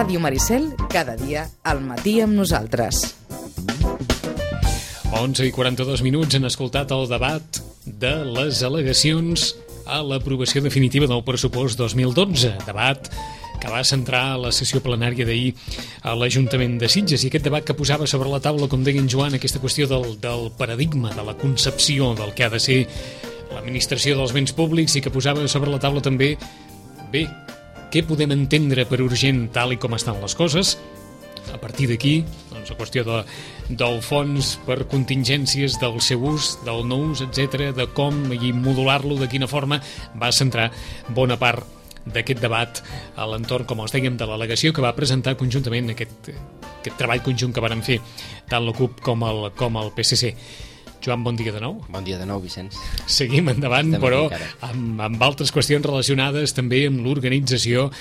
Ràdio Maricel, cada dia al matí amb nosaltres. 11:42 han escoltat el debat de les al·legacions a l'aprovació definitiva del pressupost 2012. Debat que va centrar la sessió plenària d'ahir a l'Ajuntament de Sitges, i aquest debat que posava sobre la taula, com deia en Joan, aquesta qüestió del paradigma, de la concepció del que ha de ser l'administració dels béns públics, i que posava sobre la taula també, bé, què podem entendre per urgent tal i com estan les coses. A partir d'aquí, doncs, la qüestió del fons per contingències, del seu ús, del no ús, etc., de com i modular-lo, de quina forma, va centrar bona part d'aquest debat a l'entorn, com els dèiem, de l'al·legació que va presentar conjuntament aquest treball conjunt que varen fer tant la CUP com el PSC. Joan, bon dia de nou. Bon dia de nou, Vicenç. Seguim endavant, Estem però amb amb altres qüestions relacionades també amb l'organització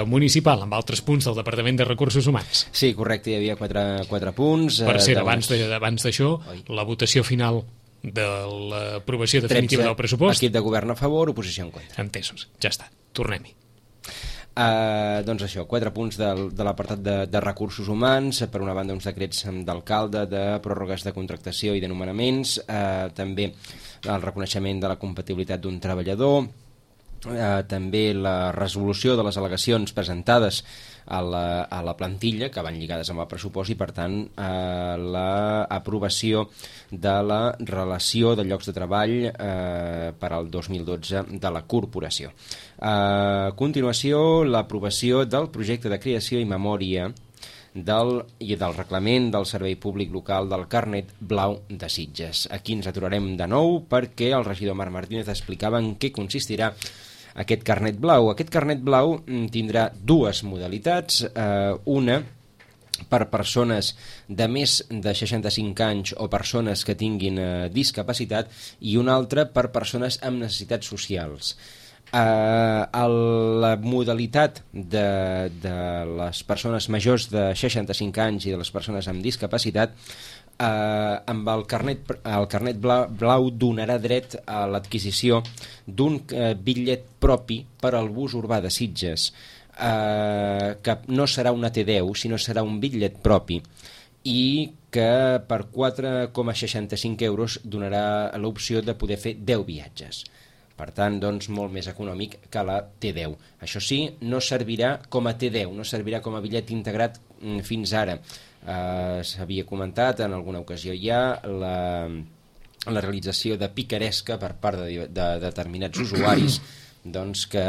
municipal, amb altres punts del Departament de Recursos Humans. Sí, correcte, hi havia quatre punts. Per cert, abans d'això, la votació final de l'aprovació definitiva del pressupost. Equip de govern a favor, oposició en contra. Entesos, ja està, tornem-hi. Doncs això, 4 punts de l'apartat de recursos humans. Per una banda, uns decrets d'alcalde, de pròrrogues de contractació i de nomenaments, també el reconeixement de la compatibilitat d'un treballador, també la resolució de les al·legacions presentades a la plantilla, que van lligades amb el pressupost, i per tant l'aprovació de la relació de llocs de treball per al 2012 de la corporació. A continuació, l'aprovació del projecte de creació i memòria del reglament del Servei Públic Local del Carnet Blau de Sitges. Aquí ens aturarem de nou perquè el regidor Marc Martínez explicava en què consistirà aquest carnet blau. Aquest carnet blau tindrà dues modalitats, una per persones de més de 65 anys o persones que tinguin discapacitat, i una altra per persones amb necessitats socials. La modalitat de les persones majors de 65 anys i de les persones amb discapacitat, amb el carnet blau donarà dret a l'adquisició d'un bitllet propi per al bus urbà de Sitges, que no serà una T10, sinó serà un bitllet propi, i que per 4,65 euros donarà l'opció de poder fer 10 viatges. Per tant, doncs, molt més econòmic que la T10. Això sí, no servirà com a T10, no servirà com a bitllet integrat fins ara. S'havia comentat en alguna ocasió ja la realització de picaresca per part de determinats usuaris, doncs, que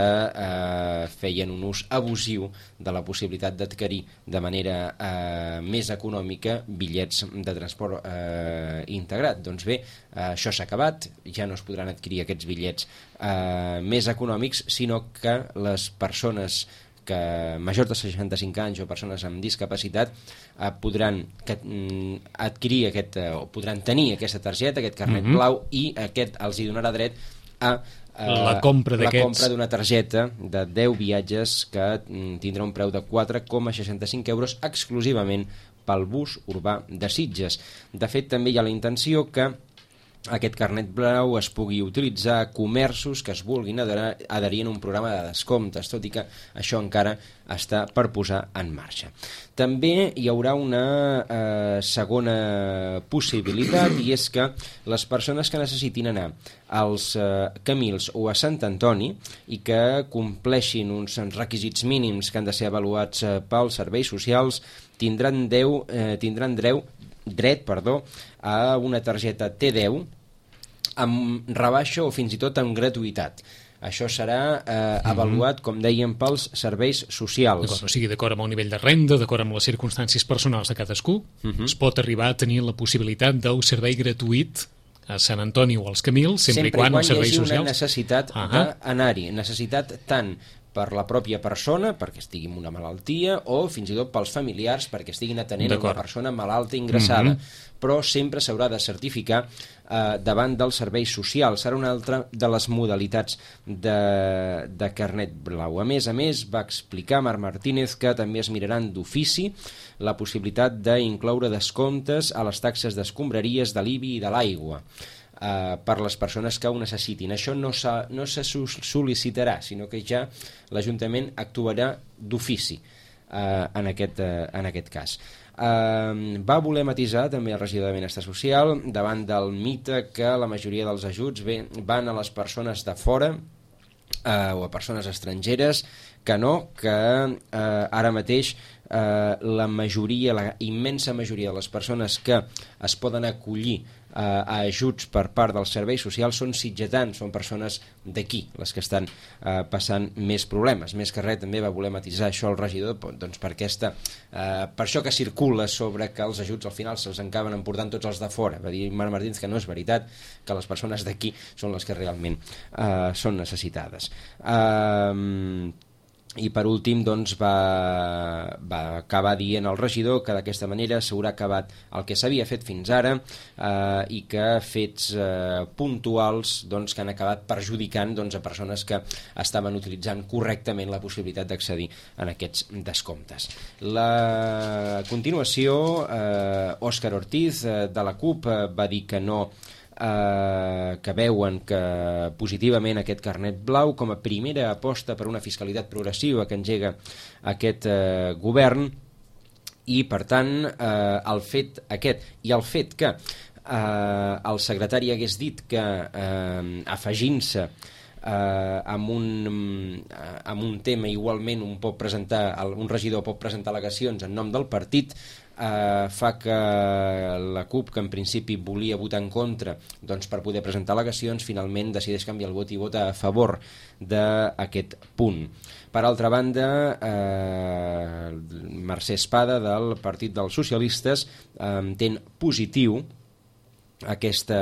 feien un ús abusiu de la possibilitat d'adquirir de manera més econòmica bitllets de transport integrat. Doncs bé, això s'ha acabat, ja no es podran adquirir aquests bitllets més econòmics, sinó que les persones majors de 65 anys o persones amb discapacitat podran adquirir podran tenir aquesta targeta, aquest carnet blau, i aquest els hi donarà dret a la compra d'una targeta de 10 viatges que tindrà un preu de 4,65 euros exclusivament pel bus urbà de Sitges. De fet, també hi ha la intenció que aquest carnet blau es pugui utilitzar a comerços que es vulguin adherir en un programa de descomptes, tot i que això encara està per posar en marxa. També hi haurà una segona possibilitat, i és que les persones que necessitin anar als Camils o a Sant Antoni i que compleixin uns requisits mínims que han de ser avaluats pels serveis socials tindran dret a una targeta T10 amb rebaixa o fins i tot amb gratuïtat. Això serà avaluat, com dèiem, pels serveis socials. O sigui, d'acord amb el nivell de renda, d'acord amb les circumstàncies personals de cadascú, es pot arribar a tenir la possibilitat del servei gratuït a Sant Antoni o als Camils, sempre i quan els serveis socials... Sempre i quan hi hagi una necessitat d'anar-hi, necessitat tant per la pròpia persona, perquè estigui amb una malaltia, o fins i tot pels familiars, perquè estiguin atenent a una persona malalta ingressada. Però sempre s'haurà de certificar davant dels serveis socials. Serà una altra de les modalitats de carnet blau. A més, va explicar Marc Martínez que també es miraran d'ofici la possibilitat d'incloure descomptes a les taxes d'escombraries, de l'IBI i de l'aigua per les persones que ho necessitin. Això no se sol·licitarà, sinó que ja l'Ajuntament actuarà d'ofici. en aquest cas. Va voler matisar també el regidor de Benestar Social davant del mite que la majoria dels ajuts van a les persones de fora o a persones estrangeres, que no, que ara mateix la immensa majoria de les persones que es poden acollir a ajuts per part dels serveis socials són sitgetans, són persones d'aquí les que estan passant més problemes. Més que res també va voler matisar això el regidor, doncs per això que circula sobre que els ajuts al final se'ls acaben emportant tots els de fora. Va dir Marc Martínez que no és veritat, que les persones d'aquí són les que realment són necessitades. I per últim doncs, va acabar dient el regidor que d'aquesta manera s'haurà acabat el que s'havia fet fins ara i que fets puntuals doncs, que han acabat perjudicant doncs, a persones que estaven utilitzant correctament la possibilitat d'accedir en aquests descomptes. A continuació, Òscar Ortiz de la CUP va dir que no, que veuen que positivament aquest carnet blau com a primera aposta per una fiscalitat progressiva que engega aquest govern, i per tant el fet aquest i el fet que el secretari hagués dit que afegint-se amb un tema igualment un regidor pot presentar al·legacions en nom del partit, fa que la CUP, que en principi volia votar en contra doncs, per poder presentar al·legacions, finalment decideix canviar el vot i vota a favor d'aquest punt. Per altra banda, Mercè Espada del Partit dels Socialistes entén positiu aquest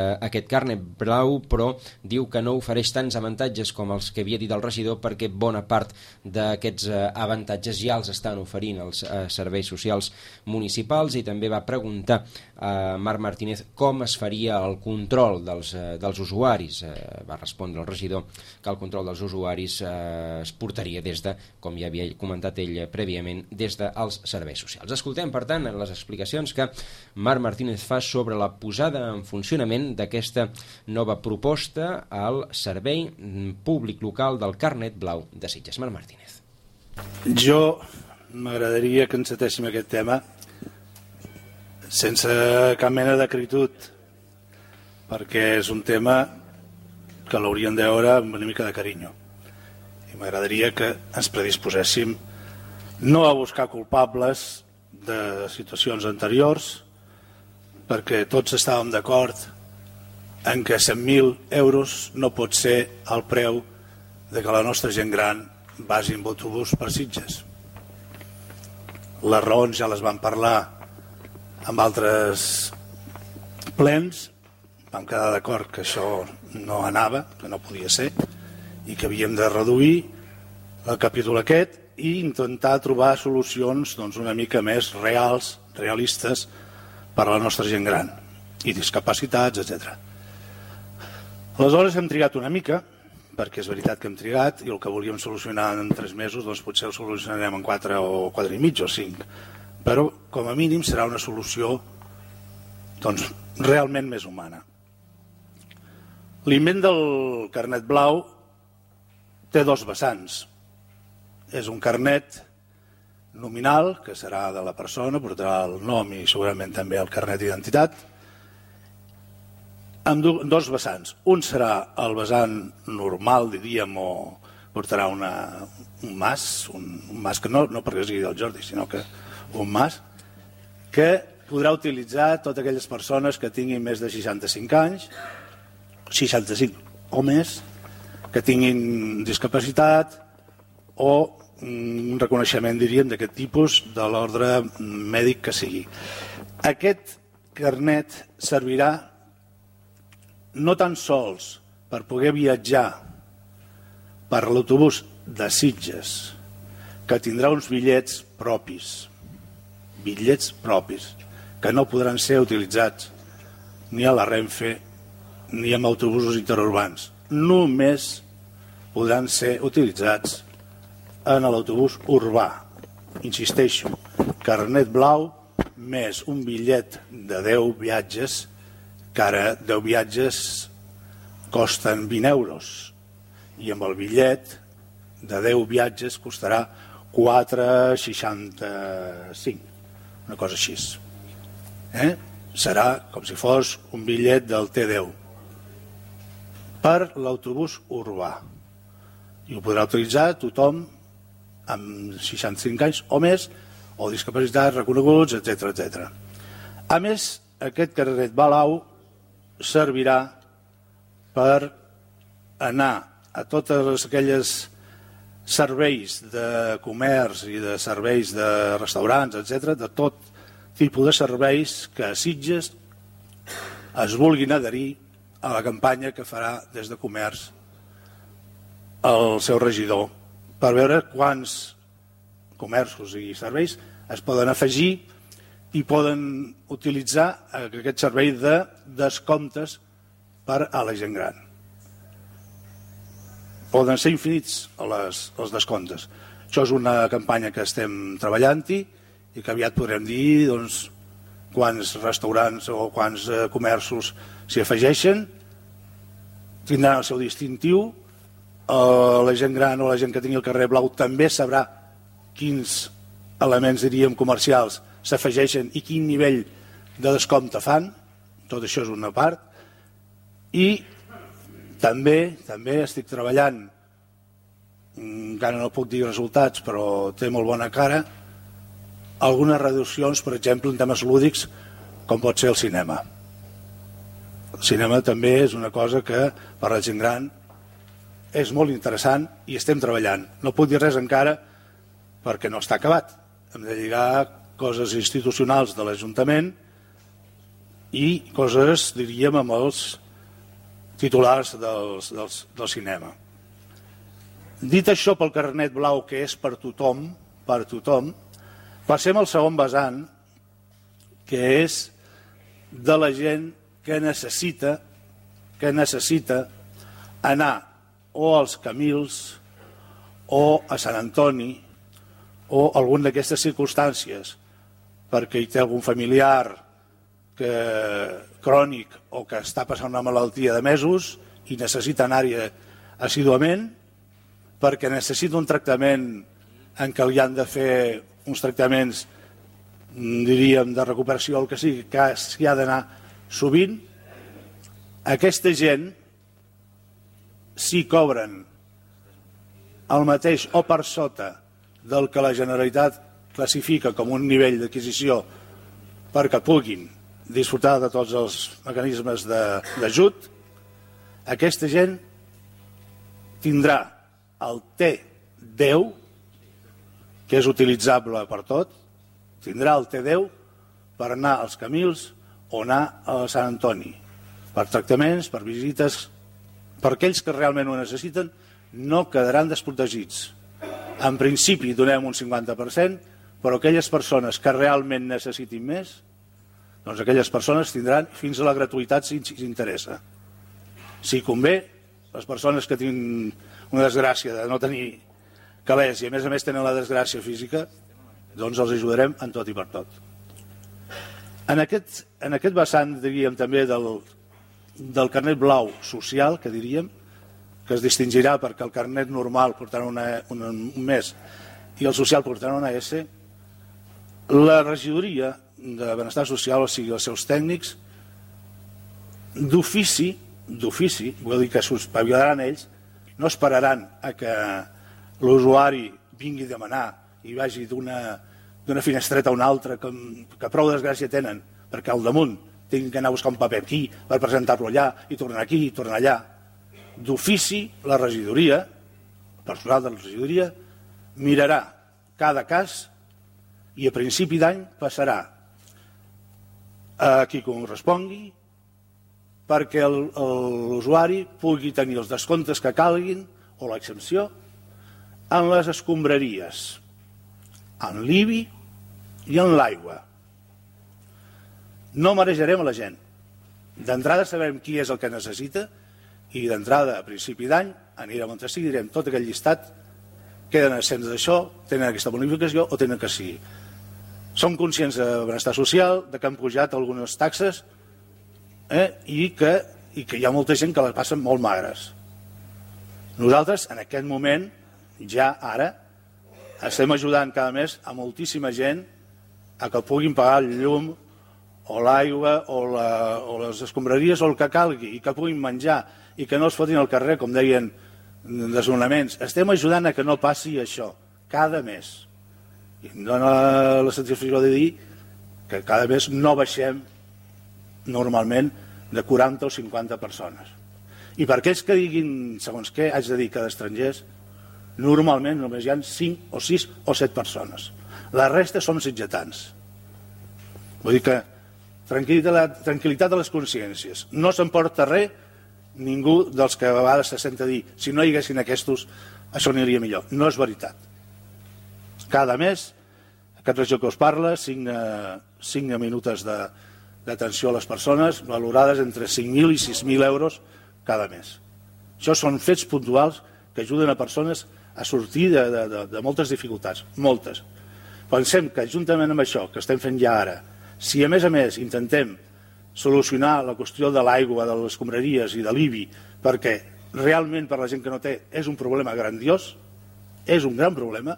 carnet blau, però diu que no ofereix tants avantatges com els que havia dit el regidor, perquè bona part d'aquests avantatges ja els estan oferint els serveis socials municipals. I també va preguntar a Marc Martínez com es faria el control dels usuaris. Va respondre el regidor que el control dels usuaris es portaria des de, com ja havia comentat ell prèviament, des dels serveis socials. Escoltem, per tant, les explicacions que Marc Martínez fa sobre la posada en funcionament d'aquesta nova proposta al servei públic local del carnet blau de Sitges. Marc Martínez. Jo m'agradaria que encetéssim aquest tema sense cap mena d'acritud, perquè és un tema que l'hauríem de veure amb una mica de carinyo, i m'agradaria que ens predisposéssim no a buscar culpables de situacions anteriors, perquè tots estàvem d'acord en que 100.000 euros no pot ser el preu de que la nostra gent gran vagi amb autobús per Sitges. Les raons ja les vam parlar amb altres plens, vam quedar d'acord que això no anava, que no podia ser, i que havíem de reduir el capítol aquest i intentar trobar solucions doncs, una mica més realistes per a la nostra gent gran i discapacitats, etc. Aleshores hem trigat una mica, perquè és veritat que hem trigat, i el que volíem solucionar en 3 mesos doncs potser ho solucionarem en 4 o 4 i mig o 5, però com a mínim serà una solució doncs, realment més humana. L'invent del carnet blau té 2 vessants. És un carnet nominal, que serà de la persona, portarà el nom i segurament també el carnet d'identitat, amb 2 vessants. Un serà el vessant normal, diríem, o portarà un mas que no perquè sigui del Jordi, sinó que un mas, que podrà utilitzar totes aquelles persones que tinguin més de 65 anys, 65 o més, que tinguin discapacitat o un reconeixement, diríem, d'aquest tipus de l'ordre mèdic que sigui. Aquest carnet servirà no tan sols per poder viatjar per l'autobús de Sitges, que tindrà uns bitllets propis, que no podran ser utilitzats ni a la Renfe ni amb autobusos interurbans. Només podran ser utilitzats en l'autobús urbà. Insisteixo, carnet blau més un bitllet de 10 viatges, que ara 10 viatges costen 20 euros, i amb el bitllet de 10 viatges costarà 4,65, una cosa així. Serà com si fos un bitllet del T10 per l'autobús urbà. I ho podrà utilitzar tothom amb 65 anys o més, o discapacitats reconeguts, etc. A més, aquest carnet blau servirà per anar a totes aquelles serveis de comerç i de serveis de restaurants, etc., de tot tipus de serveis que a Sitges es vulguin adherir a la campanya que farà des de comerç el seu regidor, per veure quants comerços i serveis es poden afegir i poden utilitzar aquest servei de descomptes per a la gent gran. Poden ser infinits els descomptes. Això és una campanya que estem treballant-hi i que aviat podrem dir quants restaurants o quants comerços s'hi afegeixen, tindran el seu distintiu. La gent gran o la gent que tingui el carrer blau també sabrà quins elements, diríem, comercials s'afegeixen i quin nivell de descompte fan. Tot això és una part. I també estic treballant, encara no puc dir resultats, però té molt bona cara, algunes reduccions, per exemple, en temes lúdics, com pot ser el cinema. El cinema també és una cosa que per a la gent gran és molt interessant i estem treballant. No puc dir res encara perquè no està acabat. Hem de lligar coses institucionals de l'Ajuntament i coses, diríem, amb els titulars del cinema. Dit això pel carnet blau, que és per tothom, passem al segon vessant, que és de la gent que necessita anar o als Camils o a Sant Antoni o alguna d'aquestes circumstàncies perquè hi té algun familiar crònic o que està passant una malaltia de mesos i necessita anar-hi assíduament, perquè necessita un tractament en què li han de fer uns tractaments, diríem, de recuperació, el que sigui, que s'hi ha d'anar sovint. Aquesta gent, si cobren el mateix o per sota del que la Generalitat classifica com un nivell d'adquisició perquè puguin disfrutar de tots els mecanismes d'ajut, aquesta gent tindrà el T10, que és utilitzable per tot, tindrà el T10 per anar als Camils o anar a Sant Antoni, per tractaments, per visites. Per aquells que realment ho necessiten, no quedaran desprotegits. En principi donem un 50%, però aquelles persones que realment necessitin més, doncs aquelles persones tindran fins a la gratuïtat si interessa. Si convé, les persones que tenen una desgràcia de no tenir calés i a més tenen la desgràcia física, doncs els ajudarem en tot i per tot. En aquest vessant, diríem, també del carnet blau social, que diríem, que es distingirà perquè el carnet normal portarà un mes i el social portarà una S, la regidoria de benestar social, o sigui, els seus tècnics, d'ofici, vull dir que s'espavilaran ells, no esperaran a que l'usuari vingui a demanar i vagi d'una finestreta a una altra, que prou desgràcia tenen, perquè al damunt tinguin que anar a buscar un paper aquí per presentar-lo allà i tornar aquí i tornar allà. D'ofici, la regidoria, el personal de la regidoria, mirarà cada cas i a principi d'any passarà a qui correspongui perquè l'usuari pugui tenir els descomptes que calguin o l'exempció en les escombraries, en l'IBI i en l'aigua. No marejarem a la gent. D'entrada sabem qui és el que necessita i d'entrada, a principi d'any, anirem on sigui, direm tot aquell llistat, queden exempts d'això, tenen aquesta bonificació o tenen que sigui. Som conscients de benestar social, de que han pujat algunes taxes i que hi ha molta gent que les passen molt magres. Nosaltres, en aquest moment, ja ara, estem ajudant cada mes a moltíssima gent a que puguin pagar el llum o l'aigua o les escombraries o el que calgui i que puguin menjar i que no es fotin al carrer, com deien, desnonaments. Estem ajudant a que no passi això cada mes. I em dóna la satisfacció de dir que cada mes no baixem normalment de 40 o 50 persones. I per aquells que diguin, segons què, haig de dir que d'estrangers, normalment només hi ha 5 o 6 o 7 persones. La resta som sitgetans. Vull dir que tranquil·litat a les consciències. No s'emporta res ningú dels que a vegades se sent a dir si no hi haguessin aquests, això aniria millor. No és veritat. Cada mes, aquest regió que us parla signa minuts d'atenció a les persones valorades entre 5.000 i 6.000 euros cada mes. Això són fets puntuals que ajuden a persones a sortir de moltes dificultats, moltes. Pensem que juntament amb això que estem fent ja ara, si a més intentem solucionar la qüestió de l'aigua, de les escombraries i de l'IBI, perquè realment per la gent que no té és un problema grandiós, és un gran problema,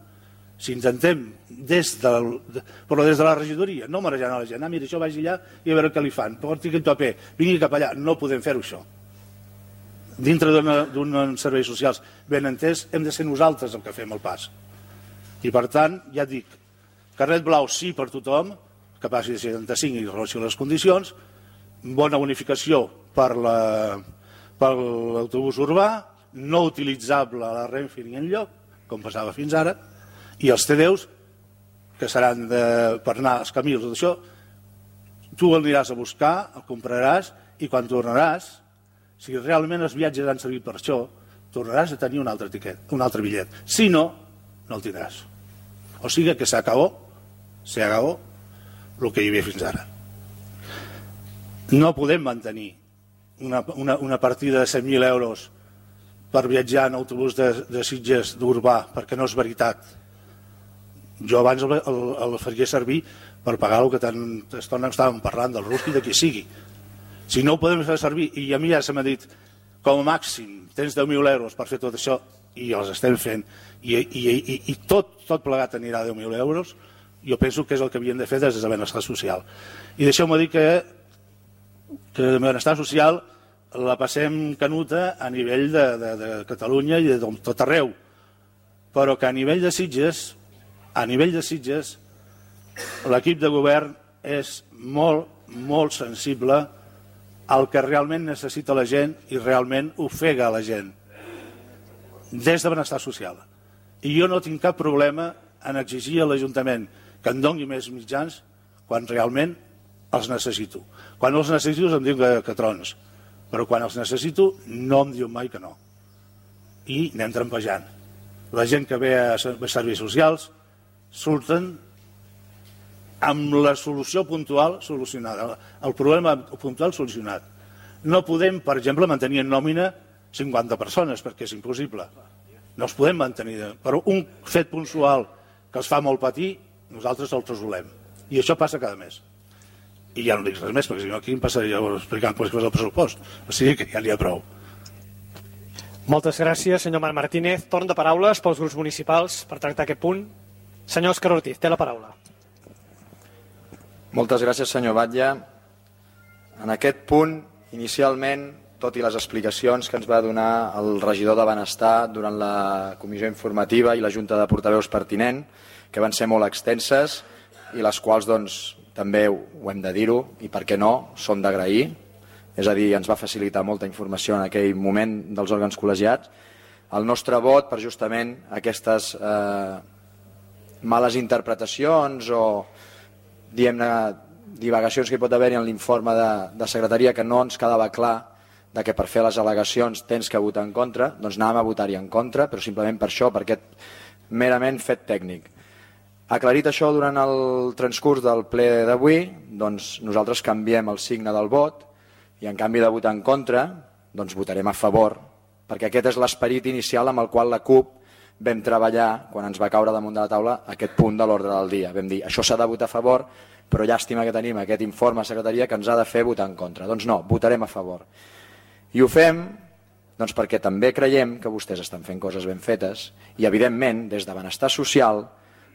si intentem però des de la regidoria, no marejant a la gent, mira, això vagi allà i a veure què li fan, porti aquest paper, vingui cap allà, no podem fer-ho això. Dintre d'uns serveis socials ben entès, hem de ser nosaltres el que fem el pas. I per tant, ja et dic, carnet blau sí per tothom, que passi de 75 i relació a les condicions, bona bonificació per l'autobús urbà, no utilitzable a la Renfe ni enlloc, com passava fins ara, i els T10, que seran per anar als camins, tot això, tu el aniràs a buscar, el compraràs, i quan tornaràs, si realment els viatges han servit per això, tornaràs a tenir un altre bitllet. Si no, no el tindràs. O sigui que s'acabó el que hi havia fins ara. No podem mantenir una partida de 100.000 euros per viatjar en autobús de Sitges d'Urbà, perquè no és veritat. Jo abans el faria servir per pagar el que tant estona estàvem parlant del rústic de qui sigui. Si no ho podem fer servir, i a mi ja se m'ha dit, com a màxim tens 10.000 euros per fer tot això, i els estem fent, i tot plegat anirà a 10.000 euros, jo penso que és el que havien de fer des de benestar social. I deixeu-me dir que benestar social la passem canuta a nivell de Catalunya i de tot arreu, però que a nivell de Sitges, l'equip de govern és molt, molt sensible al que realment necessita la gent i realment ofega la gent des de benestar social. I jo no tinc cap problema en exigir a l'Ajuntament que em doni més mitjans quan realment els necessito. Quan els necessito em diu que trons, però quan els necessito no em diu mai que no. I anem trampejant. La gent que ve a serveis socials surten amb la solució puntual solucionada, el problema puntual solucionat. No podem, per exemple, mantenir en nòmina 50 persones, perquè és impossible. No els podem mantenir. Però un fet puntual que els fa molt patir, nosaltres els resolem. I això passa cada mes. I ja no dic res més, perquè si no aquí em passaria explicant coses del pressupost. O sigui que ja n'hi ha prou. Moltes gràcies, senyor Marc Martínez. Torn de paraules pels grups municipals per tractar aquest punt. Senyor Òscar Ortiz, té la paraula. Moltes gràcies, senyor Batlle. En aquest punt, inicialment, tot i les explicacions que ens va donar el regidor de Benestar durant la comissió informativa i la junta de portaveus pertinent, que van ser molt extenses i les quals doncs, també ho hem de dir-ho i per què no, són d'agrair. És a dir, ens va facilitar molta informació en aquell moment dels òrgans col·legiats. El nostre vot per justament aquestes males interpretacions o diguem-ne divagacions que hi pot haver-hi en l'informe de secretaria que no ens quedava clar de que per fer les al·legacions tens que votar en contra, doncs anàvem a votar-hi en contra, però simplement per això, per aquest merament fet tècnic. Aclarit això durant el transcurs del ple d'avui, doncs nosaltres canviem el signe del vot i en canvi de votar en contra, doncs votarem a favor, perquè aquest és l'esperit inicial amb el qual la CUP vam treballar quan ens va caure damunt de la taula aquest punt de l'ordre del dia. Vam dir, això s'ha de votar a favor, però llàstima que tenim aquest informe a secretaria que ens ha de fer votar en contra. Doncs no, votarem a favor. I ho fem Doncs perquè també creiem que vostès estan fent coses ben fetes i, evidentment, des de benestar social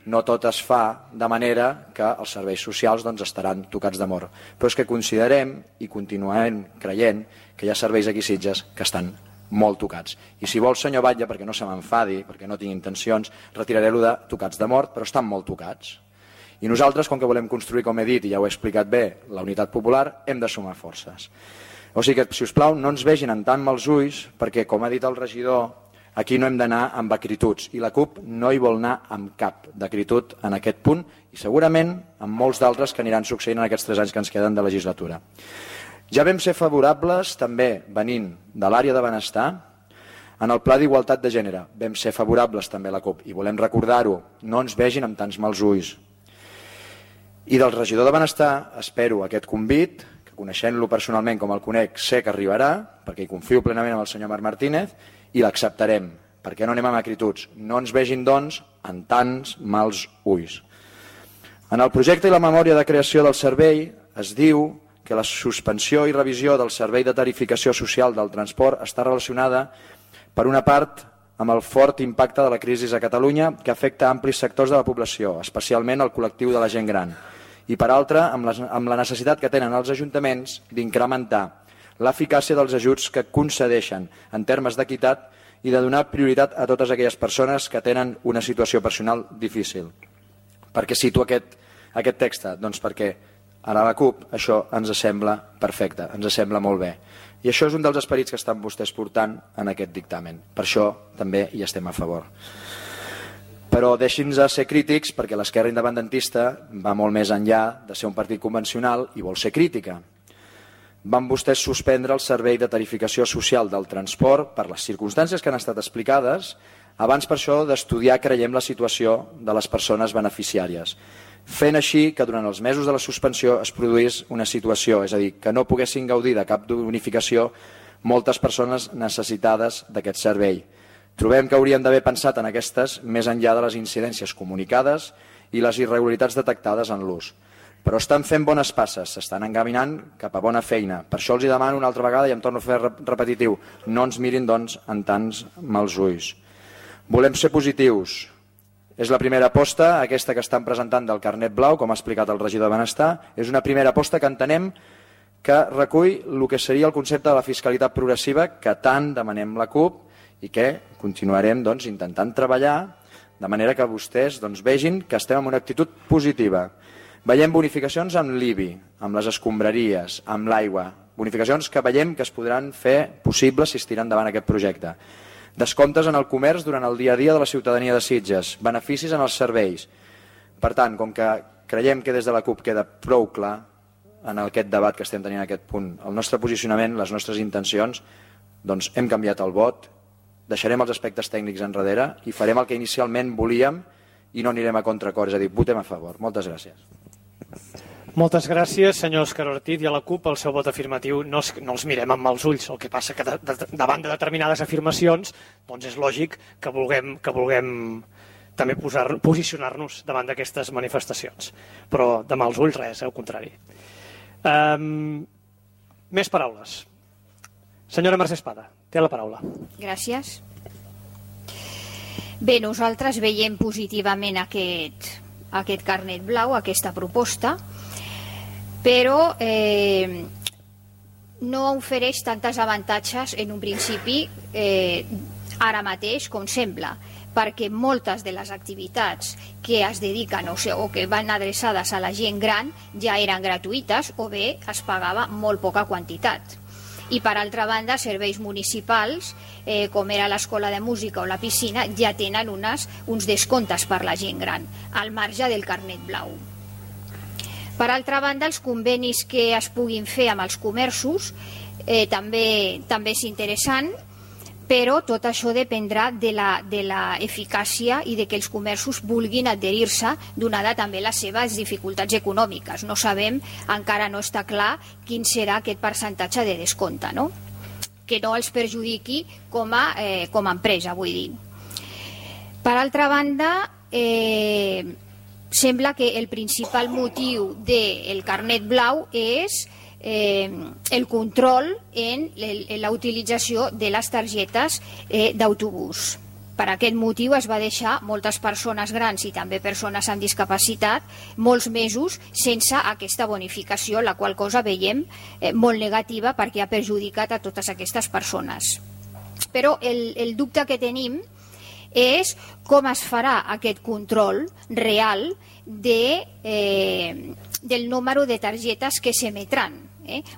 no tot es fa de manera que els serveis socials estaran tocats de mort. Però és que considerem i continuem creient que hi ha serveis aquí a Sitges que estan molt tocats. I si vol, senyor Batlle, perquè no se m'enfadi, perquè no tinc intencions, retiraré-lo de tocats de mort, però estan molt tocats. I nosaltres, com que volem construir, com he dit, i ja ho he explicat bé, la unitat popular, hem de sumar forces. O sigui que, si us plau, no ens vegin en tant mals ulls, perquè, com ha dit el regidor, aquí no hem d'anar amb acrituds, i la CUP no hi vol anar amb cap d'acritud en aquest punt, i segurament amb molts d'altres que aniran succeint en aquests 3 anys que ens queden de legislatura. Ja vam ser favorables, també venint de l'àrea de benestar, en el Pla d'Igualtat de Gènere. Vam ser favorables també a la CUP, i volem recordar-ho, no ens vegin amb tants mals ulls. I del regidor de Benestar espero aquest convit, que coneixent-lo personalment com el conec, sé que arribarà, perquè hi confio plenament en el senyor Marc Martínez, i l'acceptarem, perquè no anem amb acrituds. No ens vegin, doncs, en tants mals ulls. En el projecte i la memòria de creació del servei es diu que la suspensió i revisió del servei de tarificació social del transport està relacionada, per una part, amb el fort impacte de la crisi a Catalunya que afecta amplis sectors de la població, especialment el col·lectiu de la gent gran, i per altra, amb la necessitat que tenen els ajuntaments d'incrementar l'eficàcia dels ajuts que concedeixen en termes d'equitat i de donar prioritat a totes aquelles persones que tenen una situació personal difícil. Per què cito aquest text? Doncs perquè a la CUP això ens sembla perfecte, ens sembla molt bé. I això és un dels esperits que estan vostès portant en aquest dictamen. Per això també hi estem a favor. Però deixin-nos ser crítics, perquè l'esquerra independentista va molt més enllà de ser un partit convencional i vol ser crítica. Van vostès suspendre el servei de tarificació social del transport per les circumstàncies que han estat explicades, abans per això d'estudiar, creiem, la situació de les persones beneficiàries, fent així que durant els mesos de la suspensió es produís una situació, és a dir, que no poguessin gaudir de cap bonificació moltes persones necessitades d'aquest servei. Trobem que hauríem d'haver pensat en aquestes més enllà de les incidències comunicades i les irregularitats detectades en l'ús. Però estan fent bones passes, s'estan encaminant cap a bona feina. Per això els demano una altra vegada, i em torno a fer repetitiu, no ens mirin, doncs, en tants mals ulls. Volem ser positius. És la primera aposta, aquesta que estan presentant del carnet blau, com ha explicat el regidor de Benestar. És una primera aposta que entenem que recull el que seria el concepte de la fiscalitat progressiva que tant demanem la CUP i que continuarem, doncs, intentant treballar de manera que vostès, doncs, vegin que estem en una actitud positiva. Veiem bonificacions amb l'IBI, amb les escombraries, amb l'aigua, bonificacions que veiem que es podran fer possibles si es tiren endavant aquest projecte. Descomptes en el comerç durant el dia a dia de la ciutadania de Sitges, beneficis en els serveis. Per tant, com que creiem que des de la CUP queda prou clar en aquest debat que estem tenint en aquest punt, el nostre posicionament, les nostres intencions, doncs hem canviat el vot, deixarem els aspectes tècnics enrere i farem el que inicialment volíem i no anirem a contracor, és a dir, votem a favor. Moltes gràcies. Moltes gràcies, senyor Òscar Ortiz, i a la CUP el seu vot afirmatiu no els mirem amb els ulls, el que passa que davant de determinades afirmacions doncs és lògic que vulguem també posicionar-nos davant d'aquestes manifestacions, però de mals ulls res, al contrari. Més paraules. Senyora Mercè Espada, té la paraula. Gràcies. Bé, nosaltres veiem positivament aquest carnet blau, aquesta proposta, però no ofereix tantes avantatges en un principi ara mateix com sembla, perquè moltes de les activitats que es dediquen o que van adreçades a la gent gran ja eren gratuïtes o bé es pagava molt poca quantitat. I per altra banda, serveis municipals, com era l'escola de música o la piscina, ja tenen uns descomptes per la gent gran, al marge del carnet blau. Per altra banda, els convenis que es puguin fer amb els comerços també és interessant, però tot això dependrà de la eficàcia i de que els comerços vulguin adherir-se, donada també les seves dificultats econòmiques. No sabem, encara no està clar quin serà aquest percentatge de descompte, no? Que no els perjudiqui com a empresa, vull dir. Per altra banda, sembla que el principal motiu del carnet blau és el control en la utilització de les targetes d'autobús. Per aquest motiu es va deixar moltes persones grans i també persones amb discapacitat molts mesos sense aquesta bonificació, la qual cosa veiem molt negativa perquè ha perjudicat a totes aquestes persones. Però el dubte que tenim és com es farà aquest control real del número de targetes que s'emetran.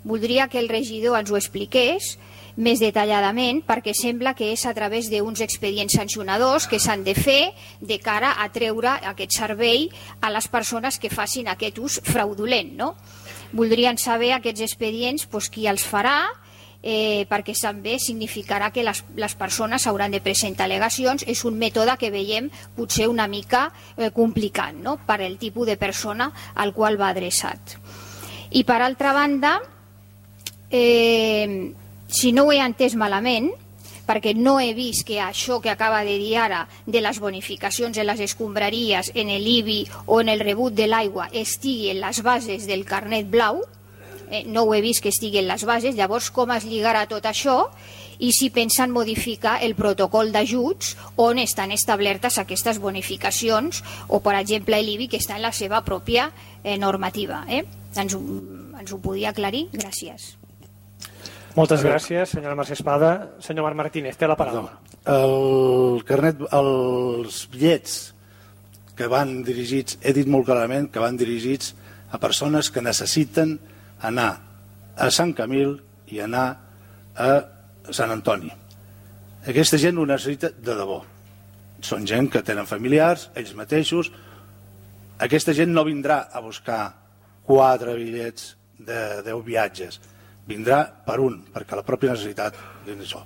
Voldria que el regidor ens ho expliqués més detalladament, perquè sembla que és a través d'uns expedients sancionadors que s'han de fer de cara a treure aquest servei a les persones que facin aquest ús fraudulent. Voldrien saber aquests expedients qui els farà, perquè també significarà que les persones hauran de presentar al·legacions. És un mètode que veiem potser una mica complicat per al tipus de persona al qual va adreçat. I per altra banda, si no ho he entès malament, perquè no he vist que això que acaba de dir ara de les bonificacions en les escombraries, en l'IBI o en el rebut de l'aigua estigui en les bases del carnet blau, no ho he vist que estigui en les bases. Llavors, com es lligarà tot això i si pensen modificar el protocol d'ajuts on estan establertes aquestes bonificacions o, per exemple, l'IBI, que està en la seva pròpia normativa. Ens ho podia aclarir? Gràcies. Moltes gràcies, senyora Mercè Espada. Senyor Marc Martínez, té la paraula. Els bitllets que van dirigits, he dit molt clarament que van dirigits a persones que necessiten anar a Sant Camil i anar a Sant Antoni. Aquesta gent ho necessita de debò. Són gent que tenen familiars, ells mateixos. Aquesta gent no vindrà a buscar 4 bitllets de 10 viatges. Vindrà per un, perquè la pròpia necessitat és això.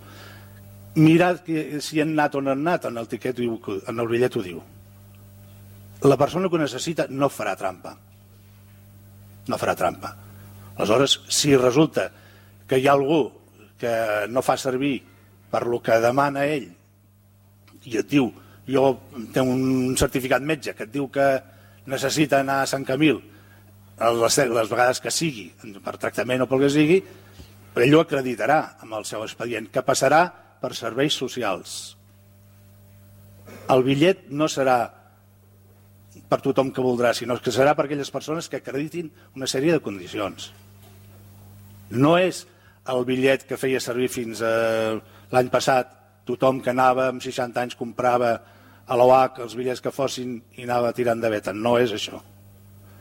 Mirad si han anat o no han anat, en el bitllet ho diu. La persona que ho necessita no farà trampa. No farà trampa. Aleshores, si resulta que hi ha algú que no fa servir per lo que demana ell i et diu, jo tinc un certificat metge que et diu que necessita anar a Sant Camil les vegades que sigui, per tractament o pel que sigui, ell ho acreditarà amb el seu expedient, que passarà per serveis socials. El bitllet no serà per tothom que voldrà, sinó que serà per aquelles persones que acreditin una sèrie de condicions. No és el bitllet que feia servir fins l'any passat, tothom que anava amb 60 anys comprava a l'OAC els bitllets que fossin i anava tirant de veta. No és això.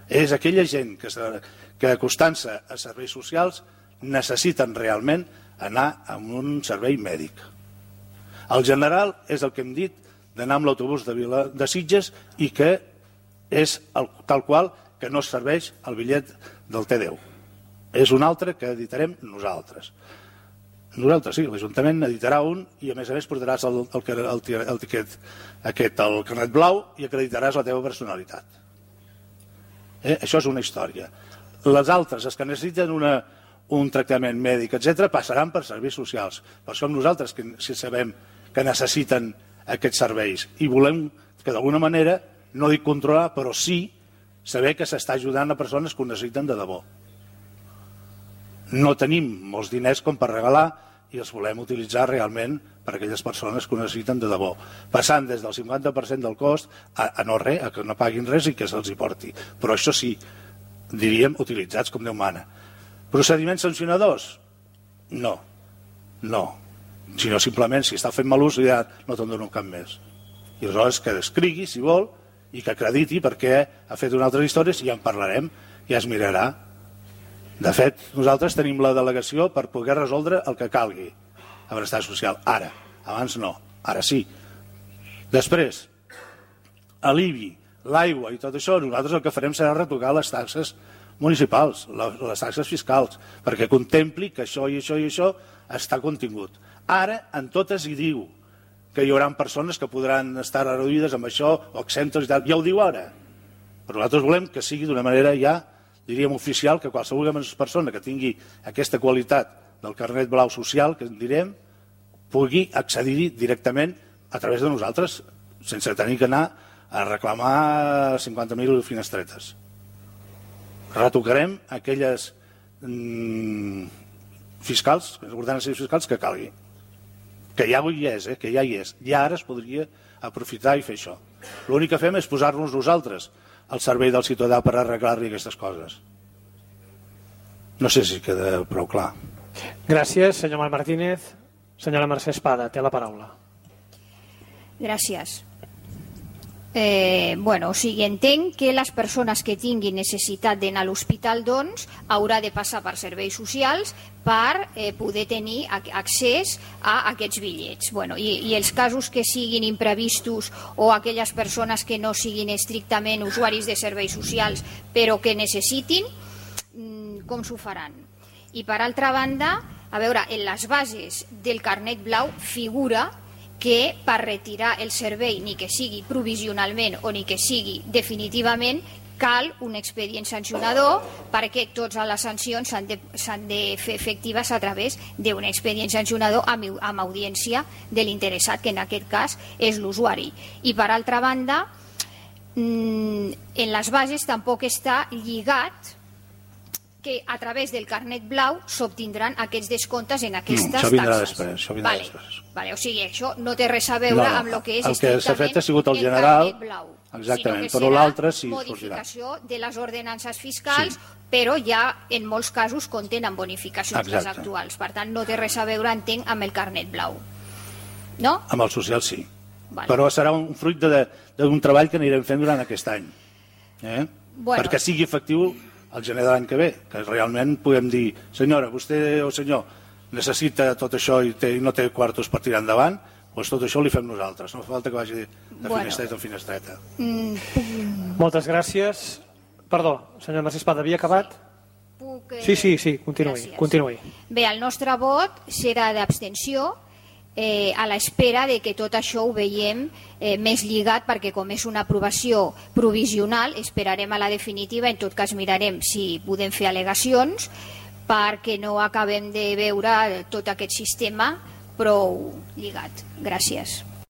És aquella gent que acostant-se a serveis socials necessiten realment anar a un servei mèdic. El general és el que hem dit d'anar amb l'autobús de Sitges i que és tal qual que no serveix el bitllet del T10. És un altre que editarem nosaltres. Nosaltres sí, l'Ajuntament editarà un i a més portaràs el tiquet aquest, el carnet blau, i acreditaràs la teva personalitat. Això és una història. Les altres, els que necessiten un tractament mèdic, etc., passaran per serveis socials. Per això nosaltres que sabem que necessiten aquests serveis i volem que d'alguna manera, no dic controlar, però sí saber que s'està ajudant a persones que ho necessiten de debò. No tenim molts diners com per regalar i els volem utilitzar realment per a aquelles persones que ho necessiten de debò, passant des del 50% del cost a no res, a que no paguin res i que se'ls hi porti. Però això sí, diríem, utilitzats com Déu mana. Procediments sancionadors? No. Sinó simplement, si està fent mal ús, ja no te'n dono cap més. I aleshores que escrigui, si vol, i que acrediti perquè ha fet unes altres històries i ja en parlarem, ja es mirarà. De fet, nosaltres tenim la delegació per poder resoldre el que calgui a benestar social. Ara, abans no, ara sí. Després, l'IBI, l'aigua i tot això, nosaltres el que farem serà retocar les taxes municipals, les taxes fiscals, perquè contempli que això i això i això està contingut. Ara, en totes hi diu que hi haurà persones que podran estar reduïdes amb això o exemptes i tal. Ja ho diu ara. Però nosaltres volem que sigui d'una manera ja, diríem, oficial, que qualsevol persona que tingui aquesta qualitat del carnet blau social, que en direm, pugui accedir directament a través de nosaltres, sense tenir que anar a reclamar 50.000 finestretes. Retocarem aquelles fiscals, ordenances fiscals que calgui. Que ja hi és, que ja hi és. Ja ara es podria aprofitar i fer això. L'únic que fem és posar-nos nosaltres al servei del ciutadà per arreglar-li aquestes coses. No sé si queda prou clar. Gràcies, senyor Marc Martínez. Senyora Mercè Espada, té la paraula. Gràcies. O sigui, entenc que les persones que tinguin necessitat d'anar a l'hospital, doncs, haurà de passar per serveis socials per poder tenir accés a aquests bitllets. I els casos que siguin imprevistos o aquelles persones que no siguin estrictament usuaris de serveis socials però que necessitin, com s'ho faran? I per altra banda, a veure, en les bases del carnet blau figura que per retirar el servei, ni que sigui provisionalment o ni que sigui definitivament, cal un expedient sancionador perquè totes les sancions s'han de fer efectives a través d'un expedient sancionador amb audiència de l'interessat, que en aquest cas és l'usuari. I per altra banda, en les bases tampoc està lligat que a través del carnet blau s'obtindran aquests descomptes en aquestes taxes. Això vindrà després. O sigui, això no té res a veure amb el que és el que s'ha fet ha sigut el general, carnet blau. Exactament, però l'altre sí sortirà. Modificació de les ordenances fiscals, però ja en molts casos contenen bonificacions les actuals. Per tant, no té res a veure, entenc, amb el carnet blau. No? Amb el social sí. Però serà un fruit d'un treball que anirem fent durant aquest any. Perquè sigui efectiu el gener de l'any que ve, que realment podem dir, senyora, vostè o senyor necessita tot això i no té quartos per tirar endavant, doncs tot això li fem nosaltres, no fa falta que vagi de finestreta a finestreta. Moltes gràcies. Perdó, senyor Mercè Espada, havia acabat? Sí, continuï. Bé, el nostre vot serà d'abstenció, a l'espera de que tot això ho veiem més lligat, perquè com és una aprovació provisional esperarem a la definitiva. En tot cas mirarem si podem fer al·legacions perquè no acabem de veure tot aquest sistema prou lligat. Gràcies.